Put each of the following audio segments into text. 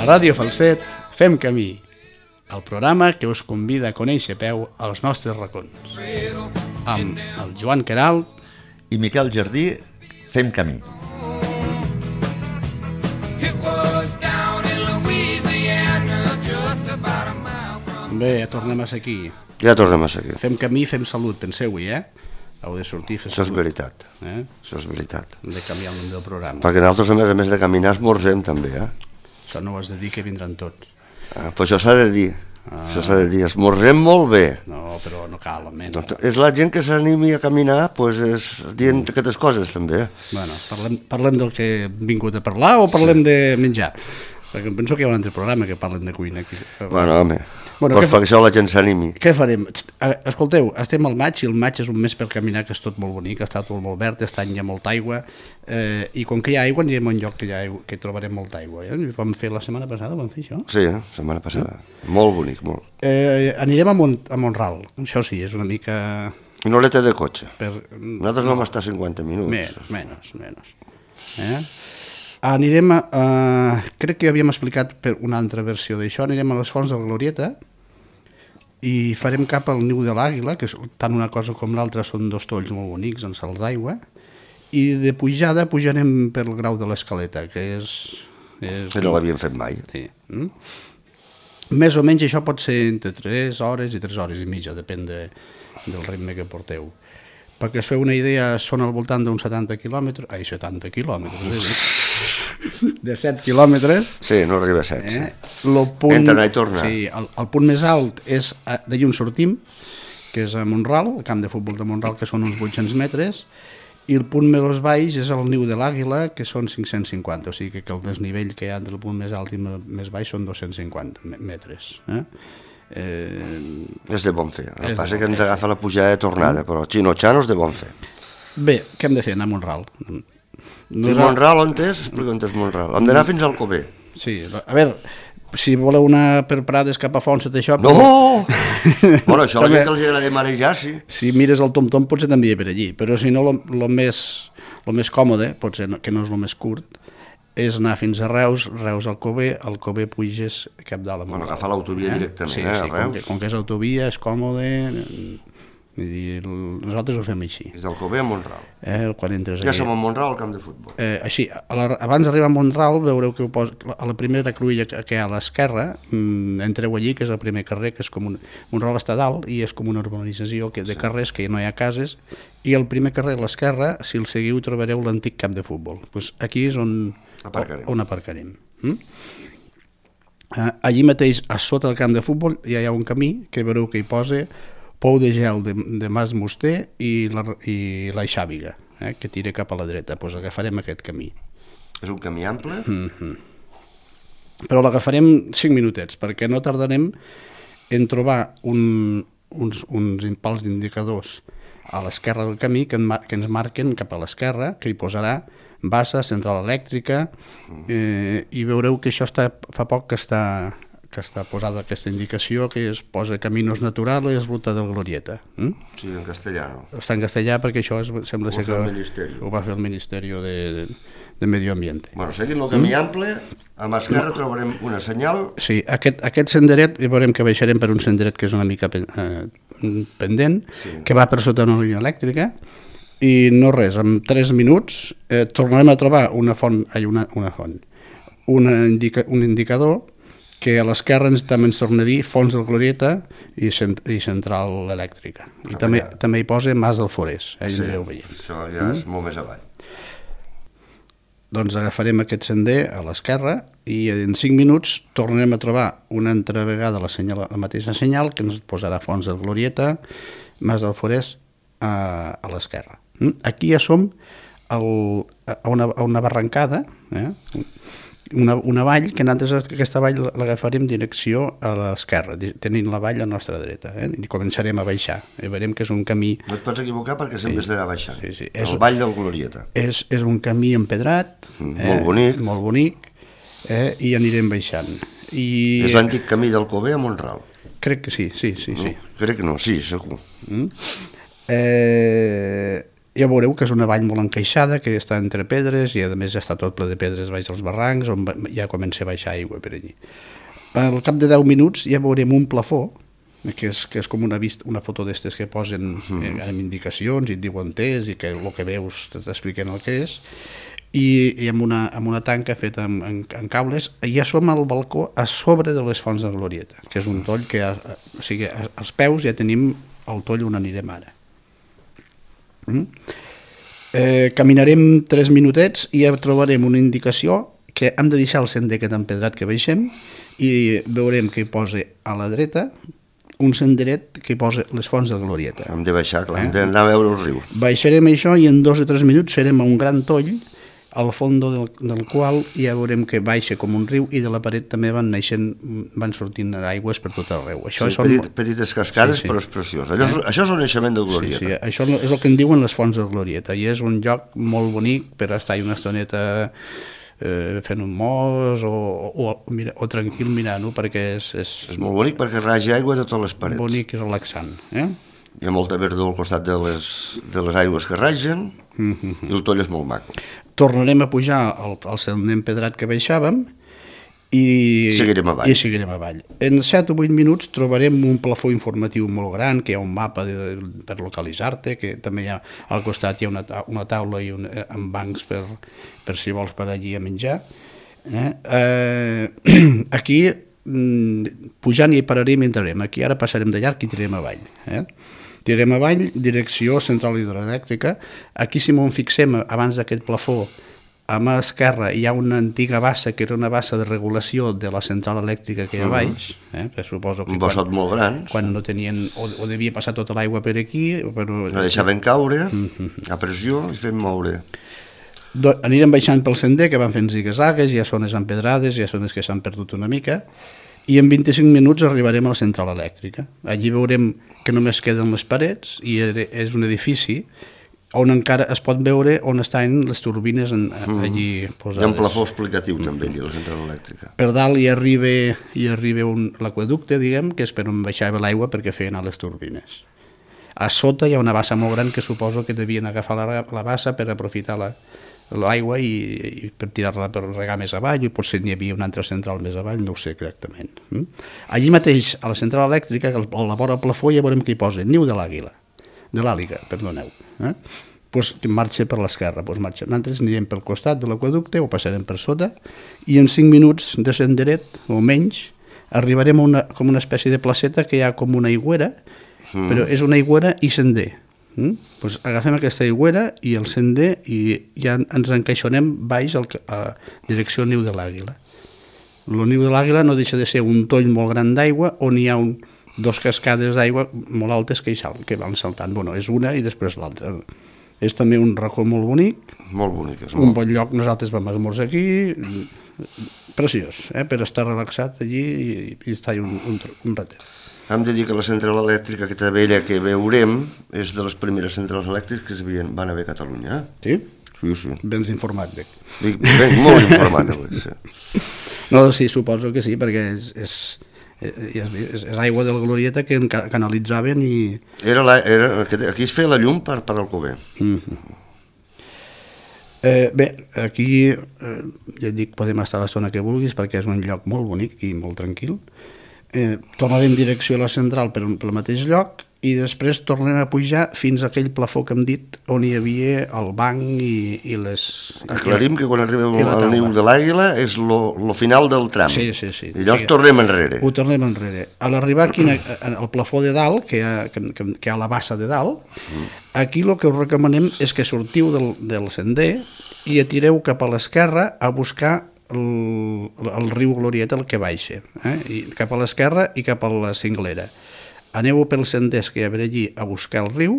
Ràdio Falset fem camí, el programa que us convida a conèixer a peu als nostres racons. Amb el Joan Queralt i Miquel Jardí fem camí. Bé, tornem a ser aquí. Ja tornem a ser aquí. Fem camí, fem salut, penseu-hi, Heu de sortir a fer Això és salut. veritat. Això és veritat. Hem de canviar el nom del programa. Perquè nosaltres, a més de caminar, esmorzem també, Això no ho has de dir, que vindran tots. Però això s'ha de dir. Això s'ha de dir. Esmorzem molt bé. No, però no cal, almenys. Doncs és la gent que s'animi a caminar, doncs és dient aquestes coses també. Bueno, parlem del que hem vingut a parlar o parlem de menjar? Perquè penso que hi ha un altre programa que parlen de cuina aquí. Bueno, home, per fer això la gent s'animi. Què farem? Escolteu, estem al maig i el maig és un mes per caminar que és tot molt bonic, està tot molt verd, aquest any hi ha molta aigua i com que hi ha aigua anirem a un lloc que trobarem molta aigua. Vam fer la setmana passada, vam fer això? Sí, la setmana passada. Molt bonic, molt. Anirem a Montral, això sí, és una mica... Una horeta de cotxe. Nosaltres vam estar 50 minuts. Menys. Anirem crec que ja havíem explicat per una altra versió d'això, anirem a les Fonts de la Glorieta i farem cap al Niu de l'Àguila, que tant una cosa com l'altra són dos tolls molt bonics en salts d'aigua, i de pujada pujarem per el Grau de l'Escaleta, que és... Que no l'havíem fet mai. Sí. Més o menys això pot ser entre 3 hores i 3 hores i mitja, depèn del ritme que porteu. Perquè es feu una idea, són al voltant d'uns 70 quilòmetres... 70 quilòmetres, de 7 quilòmetres. Sí, no arriba a 7. Entre anar i tornar. Sí, el punt més alt és d'allà on sortim, que és a Montral, el camp de futbol de Montral, que són uns 800 metres, i el punt més baix és el Niu de l'Àguila, que són 550, o sigui que el desnivell que hi ha entre el punt més alt i més baix són 250 metres. És de bon fer. El que passa que ens agafa la pujada de tornada, però Xino-Xano és de bon fer. Bé, què hem de fer? Anar a Montral. Fins Montral, on és? Explica on és Montral. Hem d'anar fins al Cover. Sí, a veure, si voleu anar per Prades cap a Fons, tot això... No! Bueno, això la gent que els agrada marejar, sí. Si mires el tom-tom potser t'envia per allí, però si no, el més còmode, potser que no és el més curt, és anar fins a Reus, Reus al Cover puges cap dalt a Montral. Bueno, agafar l'autovia directament, sí, a Reus. Com que és autovia, és còmode, nosaltres ho fem així. És del Cover a Montral. Quan entres ja som a Montral, al camp de futbol. Així, abans d'arribar a Montral, veureu que a la primera cruïlla que hi ha a l'esquerra, entreu allí, que és el primer carrer, que és com Montral està dalt, i és com una urbanització de carrers, que no hi ha cases, i el primer carrer a l'esquerra, si el seguiu, trobareu l'antic camp de futbol. Aquí és on aparcarem. Allí mateix, a sota del camp de futbol, ja hi ha un camí que veureu que hi posa Pou de Gel de Mas Muster i la Xàbiga, que tira cap a la dreta. Doncs agafarem aquest camí. És un camí ample? Però l'agafarem 5 minutets, perquè no tardarem en trobar uns pals d'indicadors a l'esquerra del camí que ens marquen cap a l'esquerra, que hi posarà bassa, central elèctrica, i veureu que això fa poc que està posada aquesta indicació, que es posa Caminos Naturales, Ruta del Glorieta. Sí, en castellano. Està en castellà perquè això sembla ser que ho va fer el Ministeri de Medio Ambiente. Bueno, seguint el camí ample, a mà esquerra trobarem una senyal... Sí, aquest senderet, veurem que baixarem per un senderet que és una mica pendent, que va per sota una línia elèctrica, i no res, en 3 minuts tornarem a trobar un indicador que a l'esquerra també ens torna a dir Fonts del Glorieta i Central Elèctrica. I també hi posa Mas del Forès. Sí, això ja és molt més avall. Doncs agafarem aquest sender a l'esquerra i en 5 minuts tornarem a trobar una altra vegada la mateixa senyal que ens posarà Fonts del Glorieta, Mas del Forès a l'esquerra. Aquí ja som a una barrancada, una vall, que nosaltres aquesta vall l'agafarem direcció a l'esquerra, tenint la vall a la nostra dreta, i començarem a baixar, i veurem que és un camí... No et pots equivocar perquè sempre has d'anar baixant, el vall del Glorieta. És un camí empedrat, molt bonic, i anirem baixant. És l'antic camí del Cover a Montral. Crec que sí. Crec que no, sí, segur. ja veureu que és una vall molt encaixada, que està entre pedres i a més ja està tot ple de pedres baix als barrancs, on ja comença a baixar aigua per allí. Al cap de 10 minuts ja veurem un plafó, que és com una foto d'estes que posen amb indicacions i et diuen test i que el que veus t'expliquen el que és, i amb una tanca feta amb cables. Ja som al balcó a sobre de les fonts de Glorieta, que és un toll que, o sigui, als peus ja tenim el toll on anirem ara. Caminarem 3 minutets i ja trobarem una indicació que hem de deixar el sender aquest empedrat que baixem i veurem que hi posa a la dreta un senderet que hi posa les fonts de Glorieta. Hem de baixar, clar, hem d'anar a veure el riu. Baixarem això i en 2 o 3 minuts serem a un gran toll al fons del qual ja veurem que baixa com un riu i de la paret també van sortint aigües per tot arreu. Això són petites cascades, però és preciós. Això és el naixement de Glorieta. Sí, això és el que en diuen les fonts de Glorieta i és un lloc molt bonic per estar una estoneta fent un mos o tranquil mirant-ho, perquè és molt bonic perquè raja aigua de totes les parets. Bonic i relaxant. Hi ha molta verdor al costat de les aigües que ragen i el toll és molt maco. Tornarem a pujar al sender empedrat que baixàvem i seguirem avall. En 7 o 8 minuts trobarem un plafó informatiu molt gran, que hi ha un mapa per localitzar-te, que també hi ha al costat hi ha una taula amb bancs per si vols per allí a menjar. Aquí, pujant hi pararem i entrarem. Aquí ara passarem de llarg i tirarem avall. Tirem avall, direcció central hidroelèctrica. Aquí, si m'ho fixem, abans d'aquest plafó, a mà esquerra hi ha una antiga bassa, que era una bassa de regulació de la central elèctrica que hi ha baix. Suposo que un bassot molt gran. Quan no tenien, o devia passar tota l'aigua per aquí. La deixaven caure a pressió i fem moure. Anirem baixant pel sender, que van fent zigue-zagues, hi ha zones empedrades, hi ha zones que s'han perdut una mica, i en 25 minuts arribarem a la central elèctrica. Allí veurem que només queden les parets i és un edifici on encara es pot veure on estan les turbines allí posades. Hi ha un plafó explicatiu també allà a la central elèctrica. Per dalt hi arriba l'aqüeducte, diguem, que és per on baixava l'aigua perquè feien a les turbines. A sota hi ha una bassa molt gran que suposo que devien agafar la bassa per aprofitar l'aigua i per tirar-la per regar més avall, i potser n'hi havia una altra central més avall, no ho sé exactament. Allí mateix, a la central elèctrica, a la vora del plafó, ja veurem que hi posa niu de l'àliga, perdoneu. Que marxa per l'esquerra. Nosaltres anirem pel costat de l'aqüeducte o passarem per sota i en 5 minuts de senderet, o menys, arribarem a com una espècie de placeta que hi ha com una aigüera, però és una aigüera i sender. Agafem aquesta aigüera i el sender i ja ens encaixonem baix a direcció niu de l'àguila. El niu de l'àguila no deixa de ser un toll molt gran d'aigua on hi ha dos cascades d'aigua molt altes que van saltant. És una i després l'altra. És també un racó molt bonic. Molt bonic. Un bon lloc. Nosaltres vam esmorzar aquí. Preciós, per estar relaxat allí i estar un ratet. Hem de dir que la central elèctrica aquesta vella que veurem és de les primeres centrals elèctriques que van haver a Catalunya. Sí? Sí. Bens informat, Bec. Molt informat, sí. No, sí, suposo que sí, perquè és aigua de la Glorieta que canalitzaven i... Aquí es feia la llum per Alcover. Bé, aquí ja et dic, podem estar a l'estona que vulguis perquè és un lloc molt bonic i molt tranquil. Tornarem en direcció a la central pel mateix lloc i després tornem a pujar fins a aquell plafó que hem dit on hi havia el banc i les... Aclarim que quan arribem al niu de l'àguila és el final del tram. Sí. I llavors tornem enrere. Ho tornem enrere. A l'arribar aquí al plafó de dalt, que hi ha la bassa de dalt, aquí el que us recomanem és que sortiu del sender i tireu cap a l'esquerra a buscar el riu Glorieta, el que baixa, cap a l'esquerra i cap a la cinglera. Aneu pels senders que hi ha allí a buscar el riu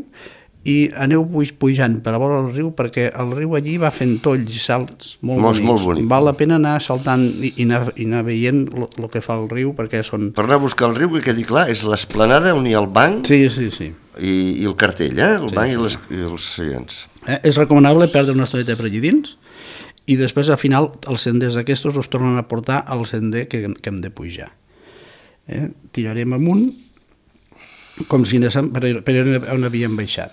i aneu pujant per a vora el riu perquè el riu allí va fent tolls i salts molt bonics. Val la pena anar saltant i anar veient el que fa el riu perquè són... Per anar a buscar el riu, que quedi clar, és l'esplanada on hi ha el banc i el cartell, el banc i els seients. És recomanable perdre una estoneta per allí dins i després, al final, els senders aquests us tornen a portar al sender que hem de pujar. Tirarem amunt, com si anéssim per on havíem baixat.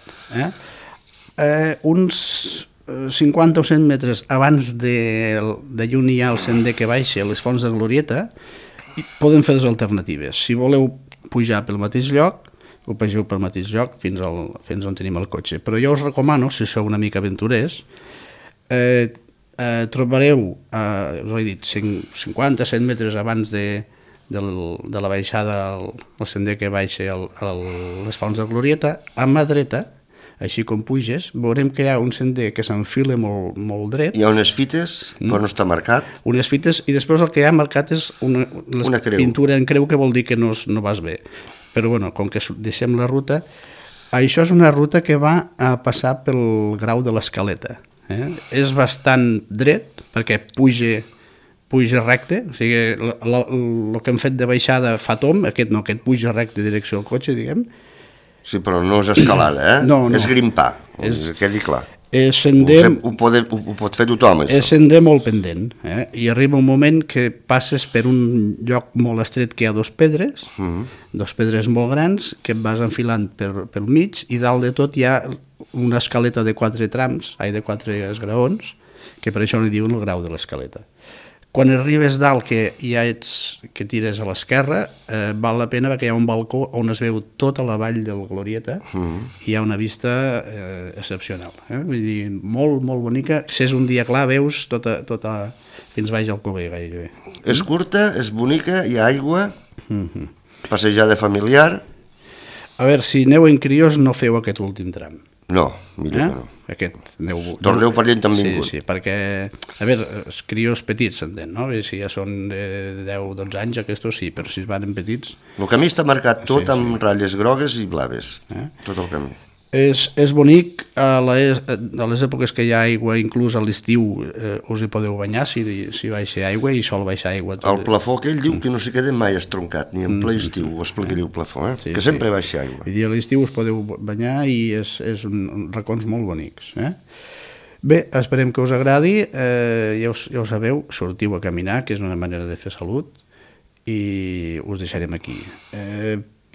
Uns 50 o 100 metres abans de llun hi ha el sender que baixa a les fonts de Glorieta, poden fer dues alternatives. Si voleu pujar pel mateix lloc, ho pugeu pel mateix lloc fins on tenim el cotxe. Però jo us recomano, si sou una mica aventurers, trobareu, us ho he dit, 50-100 metres abans de la baixada, el sender que baixa a les fonts de Glorieta, a mà dreta, així com puges, veurem que hi ha un sender que s'enfila molt dret. Hi ha unes fites, però no està marcat. Unes fites, i després el que hi ha marcat és una pintura en creu, que vol dir que no vas bé. Però bueno, com que deixem la ruta, això és una ruta que va a passar pel Grau de l'Escaleta. És bastant dret, perquè puja recte, o sigui, el que hem fet de baixada fa tomb, aquest no, aquest puja recte en direcció al cotxe, diguem. Sí, però no és escalada, No. És grimpar, que quedi clar. És sender... Ho pot fer tothom, això. És sender molt pendent, i arriba un moment que passes per un lloc molt estret que hi ha dos pedres molt grans, que et vas enfilant pel mig, i dalt de tot hi ha una escaleta de 4 trams, de 4 esgraons, que per això li diuen el Grau de l'Escaleta. Quan arribes dalt, que tires a l'esquerra, val la pena perquè hi ha un balcó on es veu tota la vall del Glorieta i hi ha una vista excepcional. Vull dir, molt, molt bonica. Si és un dia clar, veus tota fins baix al Cover, gairebé. És curta, és bonica, hi ha aigua, passejada familiar. A veure, si aneu en crios, no feu aquest últim tram. No, millor que no. Torneu per allà on han vingut. Sí, perquè, a veure, els crios petits, s'entén, no? Si ja són de 10-12 anys, aquests sí, però si van petits... El camí està marcat tot amb ratlles grogues i blaves, tot el camí. És bonic, a les èpoques que hi ha aigua, inclús a l'estiu us hi podeu banyar si baixa aigua, i sol baixar aigua. El plafó aquell diu que no s'hi queda mai estroncat, ni en ple estiu, ho explicaria el plafó, que sempre baixa aigua. I a l'estiu us podeu banyar i és racons molt bonics. Bé, esperem que us agradi, ja ho sabeu, sortiu a caminar, que és una manera de fer salut, i us deixarem aquí.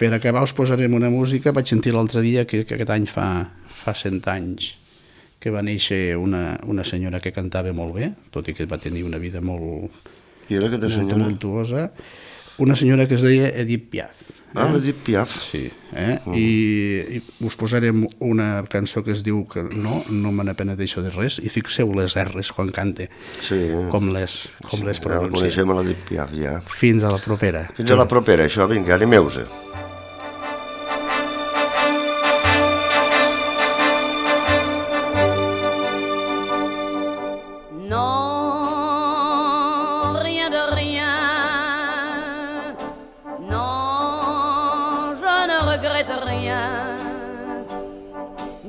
Per acabar us posarem una música. Vaig sentir l'altre dia que aquest any fa 100 anys que va néixer una senyora que cantava molt bé, tot i que va tenir una vida molt tumultuosa. Una senyora que es deia Edith Piaf. Edith Piaf. Sí, i us posarem una cançó que es diu que no me n'apenedeixo de res, i fixeu les R's quan cante, com les pronuncia. Coneixem a l'Edith Piaf, ja. Fins a la propera. Fins a la propera, això, vinga, animeu-se.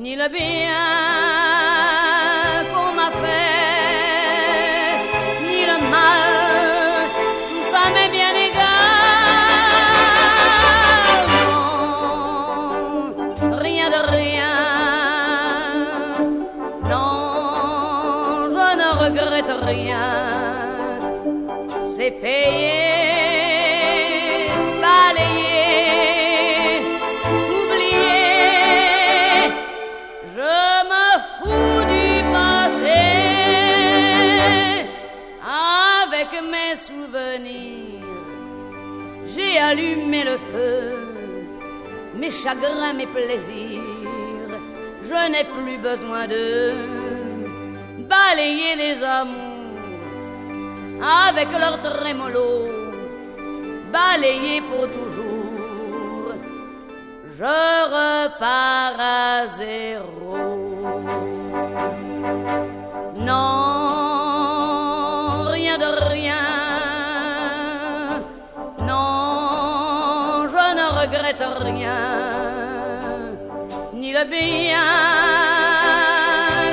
Ni le bien qu'on m'a fait, ni le mal, tout ça m'est bien égal. Non, rien de rien. Non, je ne regrette rien. C'est payé. J'ai allumé le feu, mes chagrins, mes plaisirs. Je n'ai plus besoin de balayer les amours avec leur trémolo, balayer pour toujours. Je repars à zéro. Non, rien de rien. Regrette rien, ni le bien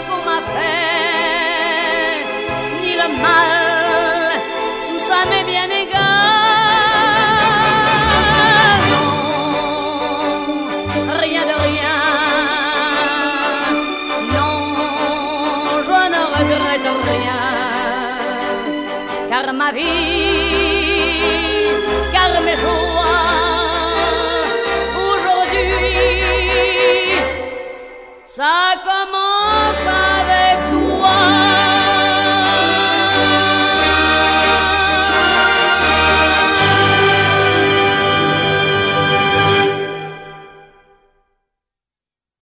qu'on m'a fait, ni le mal, tout ça m'est bien égal. Non, rien de rien. Non, je ne regrette rien, car ma vie, car mes joies, ça comme